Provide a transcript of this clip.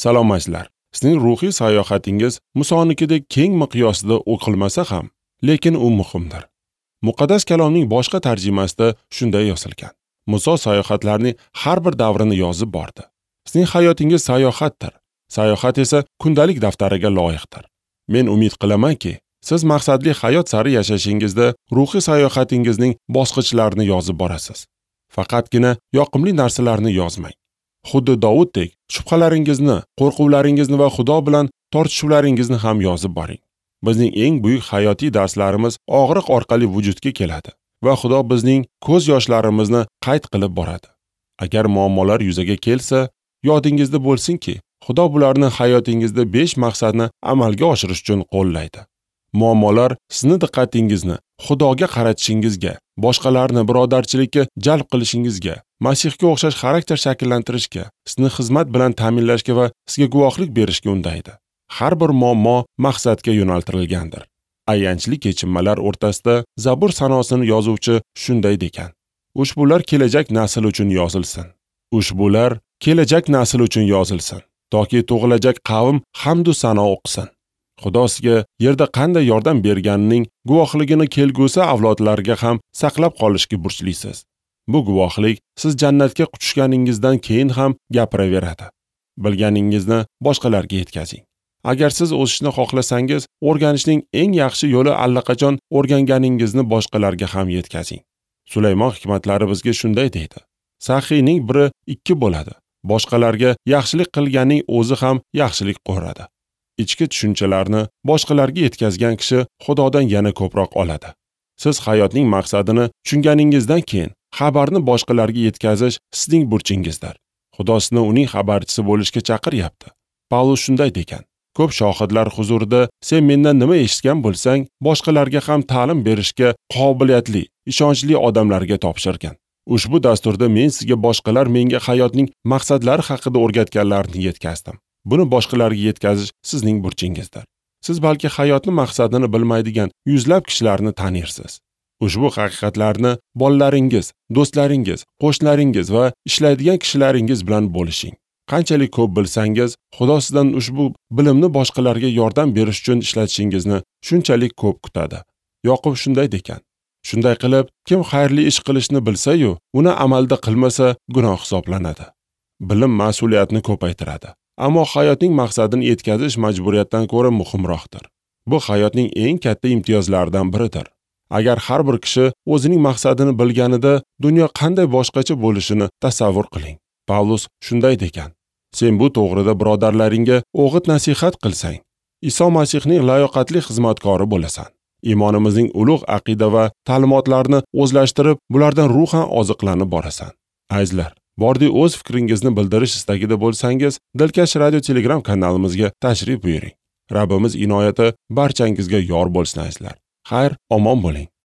Salom azizlar. Sizning ruhiy sayohatingiz Musonikidek keng miqyosda o'qilmasa ham, lekin u muhimdir. Muqaddas kalomning boshqa tarjimasida shunday yozilgan. Muso sayohatlarning har bir davrini yozib bordi. Sizning hayotingiz sayohatdir. Sayohat esa kundalik daftariga loyiqdir. Men umid qilamanki, siz maqsadli hayot sari yashashingizda ruhiy sayohatingizning bosqichlarini yozib borasiz. Faqatgina yoqimli narsalarni yozmang. Xuddi Davuddek shubhalaringizni, qo'rquvlaringizni va Xudo bilan tortishuvlaringizni ham yozib boring. Bizning eng buyuk hayotiy darslarimiz og'riq orqali vujudga keladi va Xudo bizning ko'z yoshlarimizni qayd qilib boradi. Agar muammolar yuzaga kelsa, yodingizda bo'lsinki, Xudo bularni hayotingizda 5 maqsadni amalga oshirish uchun qo'llaydi. Muammolar sizni diqqatingizni Xudoga qaratishingizga, boshqalarni birodarchilikka jalb qilishingizga, Masihga o'xshash xarakter shakllantirishga, sizni xizmat bilan ta'minlashga va sizga guvohlik berishga undaydi. Har bir muammo maqsadga yo'naltirilgandir. Ayanchli kechinmalar o'rtasida Zabur sanosini yozuvchi shunday degan: Ushbular kelajak nasl uchun yozilsin. Ushbular kelajak nasl uchun yozilsin, toki tug'ilajak qavm hamd u sano o'qisin. Xudo sizga yerda qanday yordam berganining guvohligini kelgusi avlodlarga ham saqlab qolishga burchlisiz. Bu guvohlik siz jannatga quchganingizdan keyin ham gapiraveradi. Bilganingizni boshqalarga yetkazing. Agar siz o'sishni xohlasangiz, o'rganishning eng yaxshi yo'li allaqachon o'rganganingizni boshqalarga ham yetkazing. Sulaymon hikmatlari bizga shunday deydi: Saxiyning biri 2 bo'ladi. Boshqalarga yaxshilik qilganning o'zi ham yaxshilik ko'radi. Ichki tushunchalarni boshqalarga yetkazgan kishi Xudodan yana ko'proq oladi. Siz hayotning maqsadini tushunganingizdan keyin xabarni boshqalarga yetkazish sizning burchingizdir. Xudo sizni uning xabarchisi bo'lishga chaqiryapti. Pavlus shunday degan: Ko'p shohidlar huzurida sen mendan nima eshitgan bo'lsang, boshqalarga ham ta'lim berishga qobiliyatli, ishonchli odamlarga topshirgan. Ushbu dasturda men sizga boshqalar menga hayotning maqsadlari haqida o'rgatganlarini yetkazdim. Buni boshqalarga yetkazish sizning burchingizdir. Siz balki hayotning maqsadini bilmaydigan yuzlab kishilarni tanirsiz. Ushbu haqiqatlarni bolalaringiz, do'stlaringiz, qo'shnilaringiz va ishlaydigan kishilaringiz bilan bo'lishing. Qanchalik ko'p bilsangiz, Xudo sizdan ushbu bilimni boshqalarga yordam berish uchun ishlatishingizni shunchalik ko'p kutadi. Yoqub shunday degan: Shunday qilib, kim xayrli ish qilishni bilsa-yu, uni amalda qilmasa gunoh hisoblanadi. Bilim mas'uliyatni ko'paytiradi. Ammo hayotning maqsadini yetkazish majburiyatdan ko'ra muhimroqdir. Bu hayotning eng katta imtiyozlaridan biridir. Agar har bir kishi o'zining maqsadini bilganida, dunyo qanday boshqacha bo'lishini tasavvur qiling. Pavlus shunday degan: Sen bu to'g'rida birodarlaringga o'g'it nasihat qilsang, Iso Masihning layoqatli xizmatkori bo'lasan. Iymonimizning ulug' aqida va ta'limotlarini o'zlashtirib, bulardan ruhan oziqlanib borasan. Azizlar, bordi o'z fikringizni bildirish istagida bo'lsangiz, Dilkash radio Telegram kanalimizga tashrif buyuring. Rabbimiz inoyati barchangizga yor bo'lsin azizlar. Xayr, omon bo'ling.